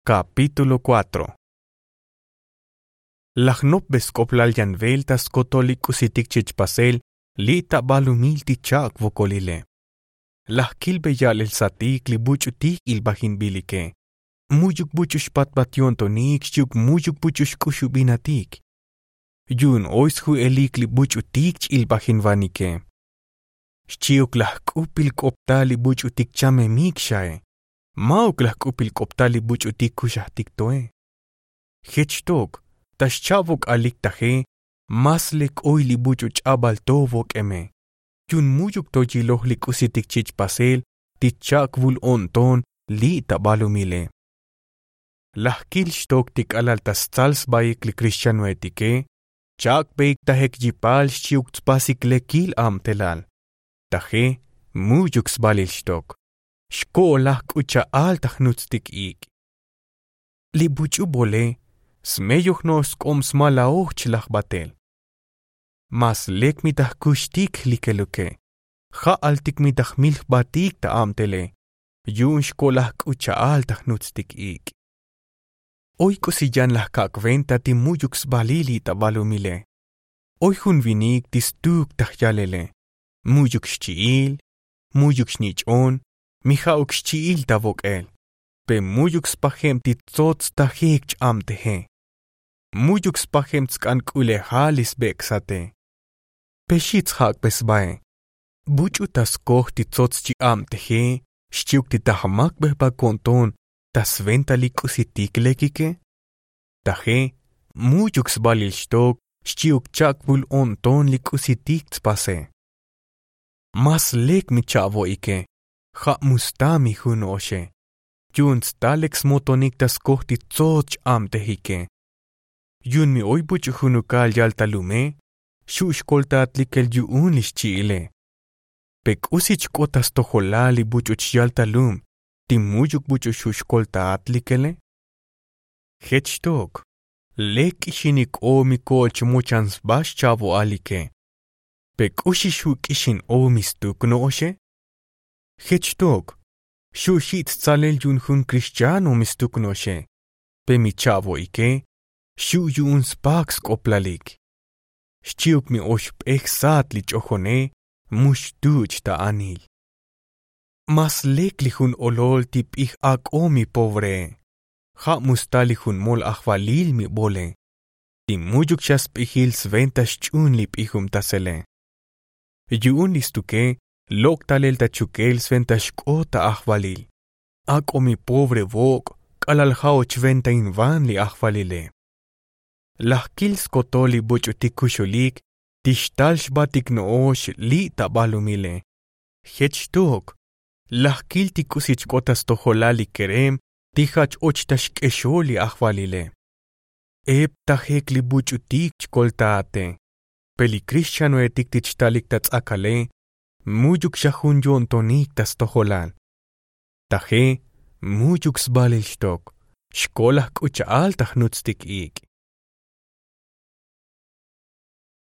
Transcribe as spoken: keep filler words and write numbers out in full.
Kapítulo kuatro. Laj nopbe sk'oplal yan vel ta skotol li k'usitik chich pasel li' ta balumil ti cha'k vokolile. Laj kilbe ya'lel satik li buch'utik ilbajinbilike. Mu'yuk buch'u xpatbat yo'ntonik xchi'uk mu'yuk buch'u xk'uxubinatik. Yu'un oy sju'elik li buch'utik ch'ilbajinvanike. Xchi'uk laj k'upil k'optal li buch'utik chamemik xae. Ma'uk laj k'upil k'optal li buch'utik kuxajtik toe. Jech xtok ta xcha'vok'alik taje. Más lek oy li buch'u ch'abal to vok'eme. Yu'un mu'yuk to yiloj li k'usitik chich pasel ti cha'k vul o'nton li' ta balumile. Laj kil xtok ti k'alal ta stsal sbaik li krixchanoetike. Cha'kbeik ta jek yipal xchi'uk tspasik lekil abtelal. Taje mu'yuk sbalil xtok. Xko'olaj k'u cha'al ta jnutstik ik'. Li buch'u bole smeyoj no'ox sk'ob smalaoj chlaj batel. Más lek mi ta jkuxtik jlikeluke. Ja'altik mi ta jmil jbatik ta abtele. Yu'un xko'laj k'u cha'al ta jnutstik ik'. Oy k'usi yan laj kak' venta ti mu'yuk sbalil li' ta balumile. Oy jun vinik ti stuk ta jyalele. Mu'yuk xchi'il, mu'yuk xnich'on, mi ja'uk xchi'il ta vok'el. Pe mu'yuk spajeb ti tsots ta jek ch-abteje. Mu'yuk spajeb tsk'an k'ulejal li sbek' sate. Pe xi tsjak'be sbae. Buch'u ta skoj ti tsots ch-abteje xchi'uk ti ta jmakbejbak o'nton ta sventa li k'usitik lekike. Taje mu'yuk sbalil xtok xchi'uk cha'k vul o'nton li k'usitik tspase. Más lek mi cha'vo'ike. Ja' mu sta mi jun no'oxe. Yu'un sta lek smotonik ta skoj ti tsots ch-abtejike. Yu'un mi oy buch'u junukal yal ta lume. Xu' xkoltaat likel yu'un li xchi'ile. Pe k'usi chk'ot ta stojolal li buch'u ch-yal ta lum ti mu'yuk buch'u xu' xkoltaat likele. Jech xtok lek k'ixinik o mi ko'ol chmochan sba xcha'vo'alike. Pe k'uxi xu' k'ixin o mi stuk no'oxe. Jech xtok xu' xi' tstsalel yu'un jun krixchano mi stuk no'oxe. Pe mi cha'vo'ike xu' yu'un spak sk'oplalik. Xchi'uk mi oy jp'ej sat li ch'ojone mu xtuch' ta anil. Más lek li jun olol ti p'ij ak'o mi povree. Ja' mu sta li jun mol ajvalil mi bole ti mu'yuk xa sp'ijil sventa xch'un li p'ijubtasele. Yu'un li stuke lok' talel ta chukel sventa xk'ot ta ajvalil. Ak'o mi pobre vok' k'alal ja' och ventainvan li ajvalile. Laj kil skotol li buch'utik kuxulik ti xtal xbatik no'ox li' ta balumile. Jech xtok laj kil ti k'usi chk'ot ta stojolal li kerem ti ja' ch-och ta xk'exol li ajvalile. Ep ta jek li buch'utik chkoltaate. Pe li krixchanoetik ti chtalik ta ts'akale mu'yuk xa jun yo'ntonik ta stojolal. Taje mu'yuk sbalil xtok xko'laj k'u cha'al ta jnutstik ik'.